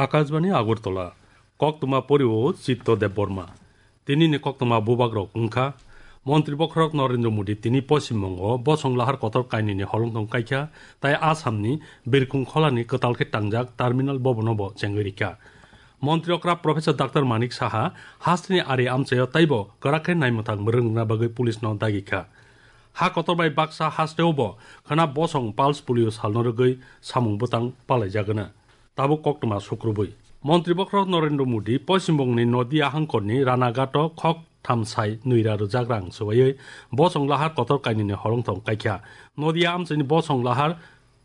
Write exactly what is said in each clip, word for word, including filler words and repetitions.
Akashbani Agartala, koktwma porio Chitto Debbarma. Tinini koktwma bubagrok wngkha, Montri Bokhorok Narendra Modi tini Poschim Bongo bosong lahar kotor kainwini holongthong kaikha, tai Assamni Birkung Kholani kwtal khe tangjak Terminal Bhavanno bo chengwi rikha. Montri okra Professor Doctor Manik Saha hasteni ari amchaio taibo kwrak khe naimwthang mwrwng rwna bagwi police no dagi kha. Ha kotor bai baksa hasteo bo khwna bosong pulse polio salno rwgwi samung bwtang palaijagwna. Tabuk koktwma sukrubui. Montri Bokhorok Narendra Modi Poschim Bongni Nodia hangkorni Ranaghato khok thamsai nwira rwjak rang swbaiwi bosong lahar kotor kainwini holongthong kaikha. Nodia amchaini bosong lahar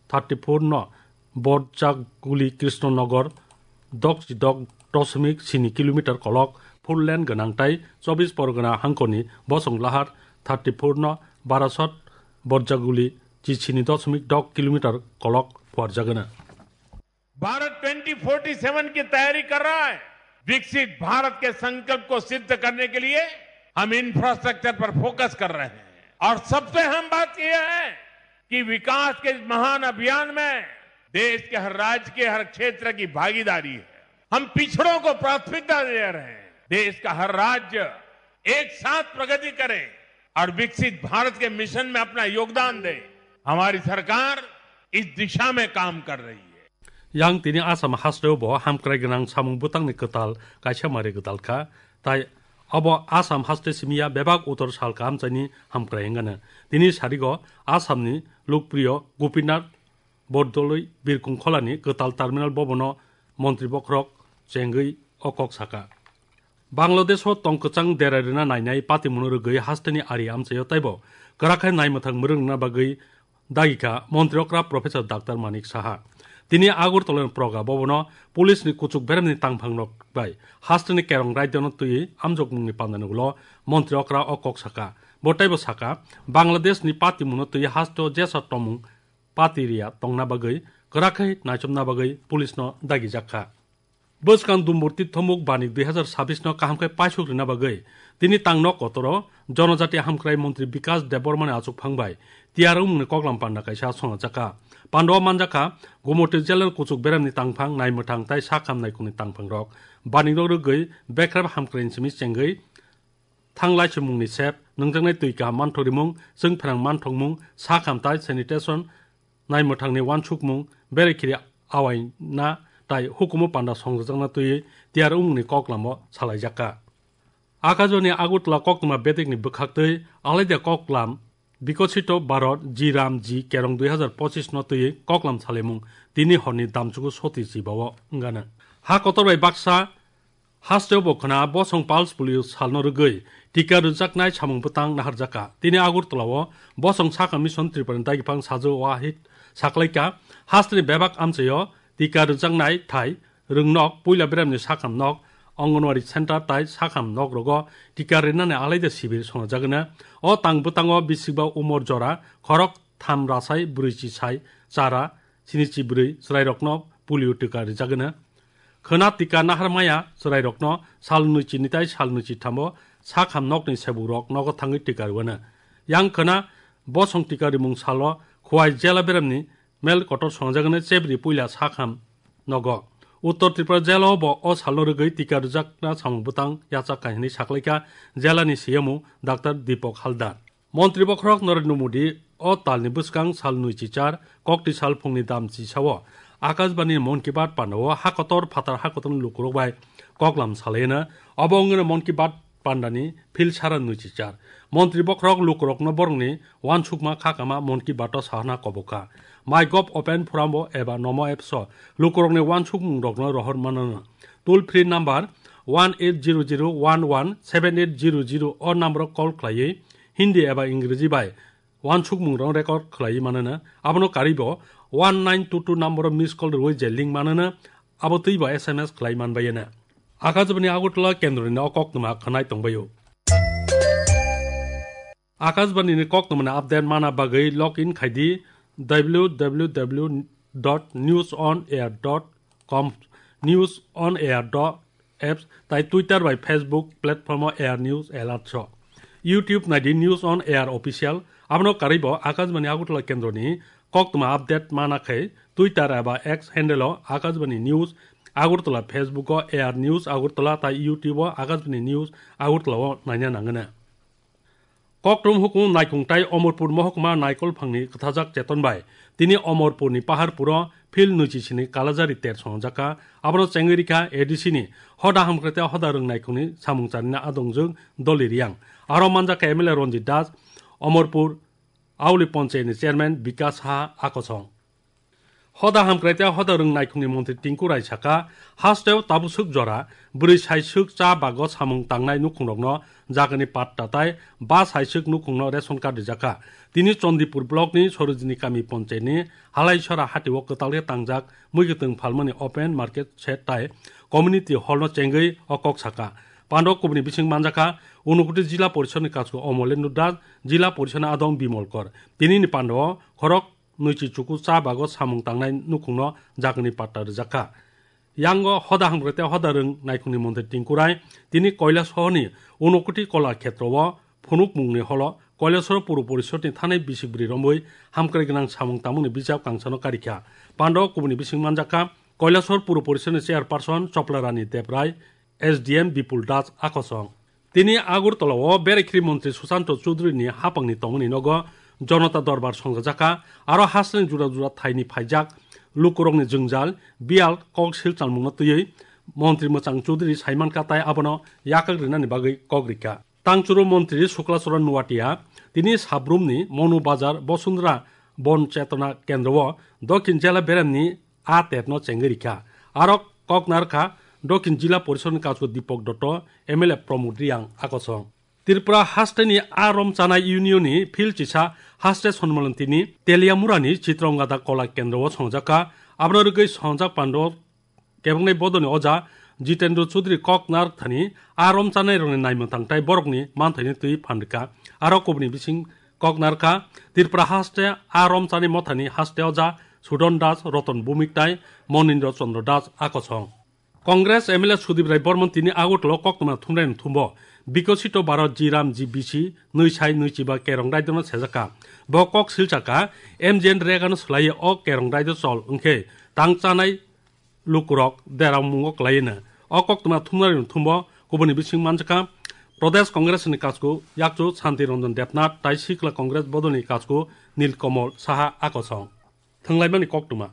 thirty four no Borjaguli Krishnanagar dok chidok dosmik sini kilometer kolok four lane gwnang tai Chobis Porgona hangkorni bosong lahar thirty four no Barasot Borjaguli chisini dosmik dok kilometer kolok phuarjagwna. Bharat twenty forty seven की तैयारी कर रहा है। विकसित भारत के संकल्प को सिद्ध करने के लिए हम इंफ्रास्ट्रक्चर पर फोकस कर रहे हैं और सबसे अहम बात यह है कि विकास के इस महान अभियान में देश के हर राज्य के हर क्षेत्र की भागीदारी है। हम पिछड़ों को प्राथमिकता दे रहे हैं। देश का हर राज्य एक साथ प्रगति करे और विकसित भारत के मिशन में अपना योगदान दे। हमारी सरकार इस दिशा में काम कर रही है। Yang tini Assam hasteo bo hamkrai gwnang samung bwtangni kwtal kaisa mari gwdal kha, tai abo Assam haste simiya bebak utor sal kahamchaini hamkrai wngano. Tini sarigo Assamni Lokpriyo Gopinath Bordoloi Birkung Kholani kwtal Terminal Bhavanno Montri Bokhorok chengwi o kok saka. Bangladesh o tong kwchang derai rwna nainai patimungno rwgwi hasteni ari amchaio taibo kwrak khe naimwthang mwrwng rwna bagwi dagi kha Montri okra Professor Doctor Manik Saha. Tini Agartala ni Proga Bhavan o police ni kuchuk beremni tangphang rok bai hasteni kerong raida no twiwi amjokmung ni panda ni ulo Montri okra o kok saka. Bo taibo saka, Bangladesh ni patimungno twiwi haste o jesa tomung pati riya tongna bagwi kwrak khe naichomna bagwi police no dagi jak kha. Bwskang Dumburti Thomuk Banik dui hazar sabis no kaham khe paisuk rwna bagwi tini tang nok kotoro Jonojati Hamkrai Montri Bikas Debbarma ni achukphang bai tiyar wngmungni koklam panda kaisa songajak kha. Panda o manjak kha Gumoti jela ni kuchuk beremni tangphang naimwthang tai sakham naikunni tangphang rok. Banik rok rwgwi bekrap hamkrai ni simi chengwi thanglai chumungni sep, nwngjaknai twi kaham manthok rimung, chwng pherang manthokmung, sakham tai sanitation, naimwthangni uansukmung, berekhiri awaina tai hukumu panda songjakna twiwi tiyar wngmungni koklamo salaijak kha. Akajoni Agartala koktwma bedekni bwkhaktwi alaida koklam Bikosito Bharat G Ram G Kerong dui hazar pochis no twiwi koklam salaimung tini horni damchugo soti chibao wngano. Ha kotor bai baksa hasteo bo khwna bosong pulse polio salno rwgwi tika rwjaknai samung bwtang naharjak kha. Tini Agartala o bosong sakha mission Tripura ni dagipang Sajwal Wahid saklaikha, hasteni bebak amchaio tika rwjaknai thai rwngnok puila beremni sakham nok, Anganwadi center tai sakham nok rogo tika rwnani alaida sibir songjagwna. O tang bwtango bisikba umor jora khorok tham rasai brwichi sai chara sinichi brwi chwrairokno polio tika rijagwna. Khwna tika nahar maya chwrairokno sal nwichi ni tai sal nwichi thamo sakham nokni sebukrok nogo thangwi tika rwano. Yang khwna bosong tika rimung salo Khowai jela beremni mel kotor songjagwna chebri puila sakham nogo. Uttor Tripura jela o bo o salno rwgwi tika rwjakna samung bwtang yachak kha hinwi saklaikha jelani C M O Doctor Deepak Haldar. Montri bokhorok Narendra Modi o talni bwskang sal nwichi char kokti sal phungni dam chisao Akashbani Mon Ki Baat pandao ha kotor phatar ha kotorni lukurok bai koklam salaino. Obo wngwino Mon Ki Baat pandani phil sara nwichi char. Montri bokhorok lukurokno borokni uansukma khakama Mon Ki Baat o sahana kobokha. MyGov open forum o eba Namo apps o lukurokni uansukmungrokno rohor manano. Toll free number one eight zero zero one one seven eight zero zero o number o call khlaiwi Hindi eba Ingreji bai uansukmungrok record khlaiwi manano. Abono karwibo one nine two two number o miss call rwwi je link manano, abo twibo S M S khlai manbaiyano. Akashbani Agartala kendroni o koktwma khwnai tongbaio. Akashbani ni koktwmani update mana bagwi log in khaidi w w w dot news on air dot com, news on air dot apps tai Twitter bai Facebook platform o Air News Alert so. YouTube naidi News on Air Official, abono karwibo Akashbani Agartala kendroni koktwma update mana khe Twitter eba X handle o Akashbani News Agartala, Facebook o A R News Agartala tai YouTube o Akashbani News Agartala o naina nangana. Kokrom hukumu naikhung tai Omorpur mohokma naikol phangni kwthajak cheton bai tini Omorpurni Paharpuro phil nwichi sini kalajari ter swngjak kha. Abono chengwi rikha A D C ni hoda hamkrai tei hoda rwng naikhungni samung charina adongjwk Doli Riyang. Aro manjak kha M L A Ranjit Das, Omorpur Auli Ponchayatni Chairman Bikas Saha Akosong. Hoda hamkrai tei hoda rwng naikhungni montri Tinku Rai sakha, hasteo tabuk swk jora bwrwi saiswk cha bago samung tangnai nukhungrokno jagani patta tai ba saiswk nukhungno ration card rijak kha. Tini Chandipur blockni Sorojini kami ponchayatni Halaisora hatio kwtal khe tangjak muikwtwng phalmani open market shed tai community hallno chengwi o kok sakha. Pandao kubuni bising manjakha, Unakoti Jila Porishodni Kasku Omolendra Das, Jila Porishodni Adong Bimol Kor. Tinini pandao khorok nwichi chuku cha bago samung tangnai nukhungno jagani patta rijak kha. Yango hoda hamkrai tei hoda rwng naikhungni montri Tinku Rai tini Koilasohorni Unakoti Kola Khetrao phunukmungni holo Koilasor Puro Porishodni thanai bisik bwrwi romwi hamkrai gwnang samung tangmani bijap kangsano karikha. Pandao kubuni bising manjakha Koilasor Puro Porishodni chairperson Chopla Rani Debrai, S D M Bipul Das Akosong. Tini Agartala o berekhri montri Susanto Chudhury ni hapangni tongmani nogo Jonota Dorbar songjajakha, aro hasteni jura jura thaini phaijak lukurokni jwngjal biyal kok silchalmungno twiwi montri mwchang Chudhury saimankha tai abono yakak rinani bagwi kok rikha. Tangchuru montri Sukla Charan Noatia tini Sabrumni Monu Bazar Bosundra Bon Chetona Kendro o Dokhin Jela beremni a tepno chengwi rikha. Aro kok narkha Dokhin Jila Porishodni Kasku Dipak Dotto, M L A Pramod Riyang Akosong. Tripura hasteni a rom chanai union ni phil chisa haste sonmolon tini Teliamurani Chitrangada Kola Kendro o songjakha. Abono rwgwi songjak pando kebongnai bodolni oja Jitendra Chudhury kok narwk thani a rom chanai rokni naimwthang tai borokni manthaini twi phan rwkha. Aro kubuni bising kok narwkha Tripura haste a rom chanai mothani haste oja Sudon Das, Roton Bhumik tai Monindra Chandra Das Akosong. Congress M L A Sudip Rai Bormon tini Agartala o koktwma thumnairokni thumbo Bikosito Bharat Ji Ram Ji B C nwi sai nwi chiba kerong raidono sejakha. Bo kok silchakha M G N Rega no swlaiwi o kerong raido chol wngkhe tang chanai lukurok derang mungo kwlaiwi no. O koktwma thumnairokni thumbo kubuni bising manjakha Pradesh Congress ni kasku yakchu Santi Ranjan Debnath tai Sikla Congress bodolni kasku Nilkamal Saha Akosong. Thwnglaimani koktwma.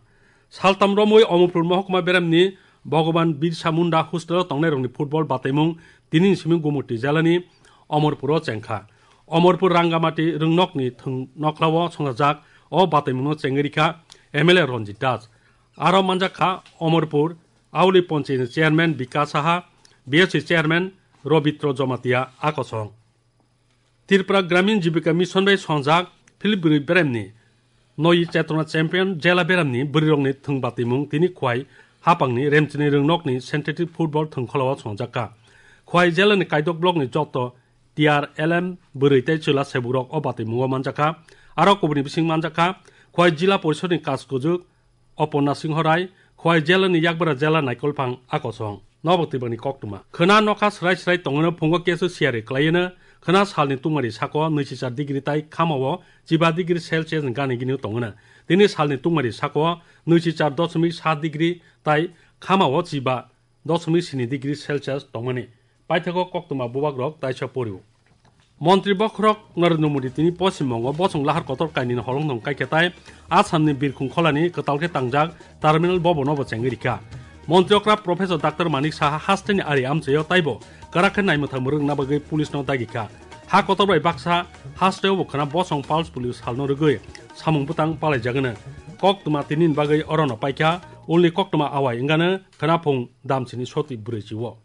Saltam romwi Omorpur mohokma beremni Bhagwan Birsa Munda hostel o tongnairokni football bataimung tinini simi Gumoti jelani Omorpuro chengkha. Omorpur Rangamati rwngnokni thwng nokhlao songchajak o bataimungno chengwi rikha M L A Ranjit Das. Aro manjakha Omorpur Auli Ponchayatni Chairman Bikas Saha, B S C Chairman Robitro Jomatia Akosong. Tripura Gramin Jibika Mission bai songjak Philip Bwrwi Beremni Noi Chetona Champion Jela Beremni bwrwirokni thwng batimung tini Khwai hapangni Remchini rwngnokni synthetic football thwngkholao songjakha. Khwai Jelani Kaidok Blockni joto T R L M bwrwi tei chwla sebukrok o batimungo manjakha. Aro kubuni bising manjakha Khwai Jila Porishodni Kaskujuk Opo Nasingho Rai, Khwai Jelani Yakbara Jela Naikolphang Akosong. Nobok twibangni koktwma. Khwna nokha srai srai tongwino phungo kesu siyari kwlaiwino, khwna salni tungmari sako nwichichar degree tai khamao chiba degree Celsius ni gani gini tongwino. Tini salni tungmari sako nwichichar doshmik saat degree tai khamao chiba doshmik sini degree Celsius tongmani. Paithago koktwma bubagrok taisa porio. Montri bokhorok Narendra Modi tini Poschim Bongo bosong lahar kotor kainwino holongthong kaikha tai Assamni Birkhung kholani kwtal khe tangjak terminal bobono bo chengwi rikha. Montri okra Professor Doctor Manik Saha hasteni ari amchaio taibo kwrak khe naimwthang mwrwkna bagwi police no dagikha. Ha kotor bai baksa hasteo bo khwna bosong Pulse Police salno rwgwi samung bwtang palaijagwno. Koktwma tinini bagwi orono paikha, ulni koktwma awai wngano khwnaphung damsini soti bwrwi chio.